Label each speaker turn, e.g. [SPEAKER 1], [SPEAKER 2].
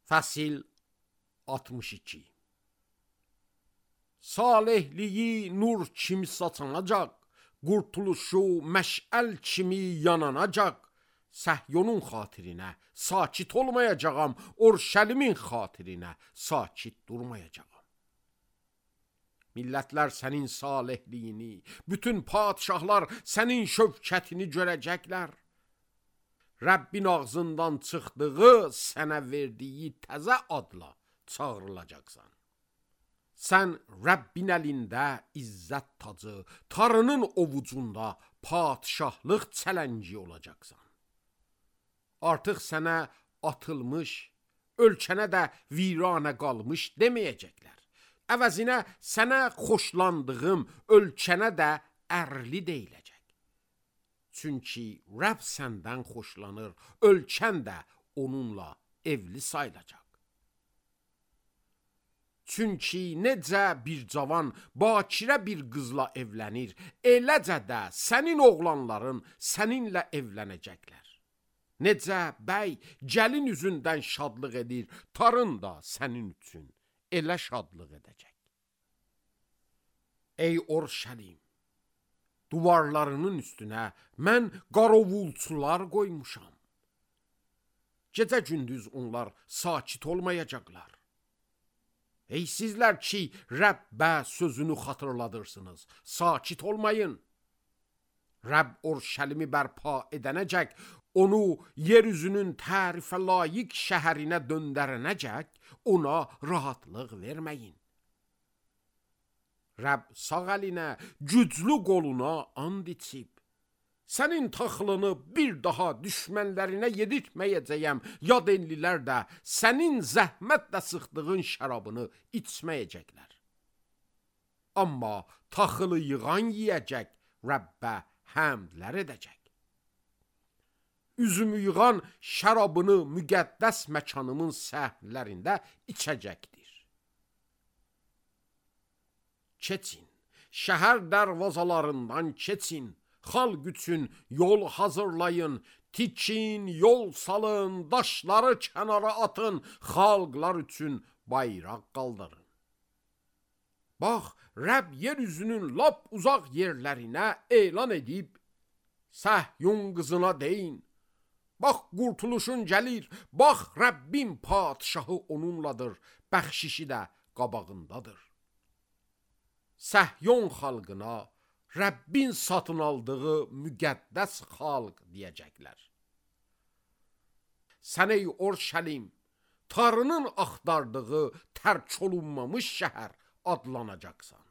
[SPEAKER 1] Fəsil 62. Salihliyi nur kimi saçanacaq, qurtuluşu məşəl kimi yananacaq. Səhyonun xatirinə sakit olmayacağam, Orşəlimin xatirinə sakit durmayacağam. Millətlər sənin salihliyini, bütün padişahlar sənin şövkətini görəcəklər. Rəbbin ağzından çıxdığı sənə verdiyi təzə adla çağrılacaqsan. Sən Rəbbin əlində izzət tacı, Tanrının ovucunda padişahlıq çələngi olacaqsan. Artıq sənə atılmış, ölkənə də viranə qalmış deməyəcəklər. Əvəzinə sənə xoşlandığım ölkənə də ərli deyiləcək. Çünki Rəbb səndən xoşlanır, ölkən də onunla evli sayılacaq. Çünki necə bir cavan bakirə bir qızla evlənir, eləcə də sənin oğlanların səninlə evlənəcəklər. Necə bəy gəlin üzündən şadlıq edir, tarın da sənin üçün elə şadlıq edəcək. Ey Orşəlim, duvarlarının üstünə mən qarovulçular qoymuşam. Gecə gündüz onlar sakit olmayacaqlar. Ey sizlər ki, Rəbbə sözünü xatırladırsınız, sakit olmayın. Rəbb Orşəlimi bərpa edənəcək, onu yeryüzünün tərifə layiq şəhərinə döndərənəcək, ona rahatlıq verməyin. Rəbb sağ əlinə, güclü qoluna and içib, sənin taxılını bir daha düşmənlərinə yedirtməyəcəyəm, yad ellilər də sənin zəhmətlə sıxdığın şərabını içməyəcəklər. Amma taxılı yığan yiyəcək, Rəbbə həmdlər edəcək. Üzümü yığan şərabını müqəddəs məkanımın səhnələrində içəcəkdir. Keçin, şəhər dərvazalarından keçin, xalq üçün yol hazırlayın, tikin, yol salın, daşları kənara atın, xalqlar üçün bayraq qaldırın. Bax, Rəbb yeryüzünün lap uzaq yerlərinə elan edib, Səhyun qızına deyin, bax, qurtuluşun gəlir, bax, Rəbbin padişahı onunladır, bəxşişi də qabağındadır. Səhyun xalqına Rəbbin satın aldığı müqəddəs xalq deyəcəklər. Sən ey Orşəlim, Tanrının axtardığı tərk olunmamış şəhər adlanacaqsan.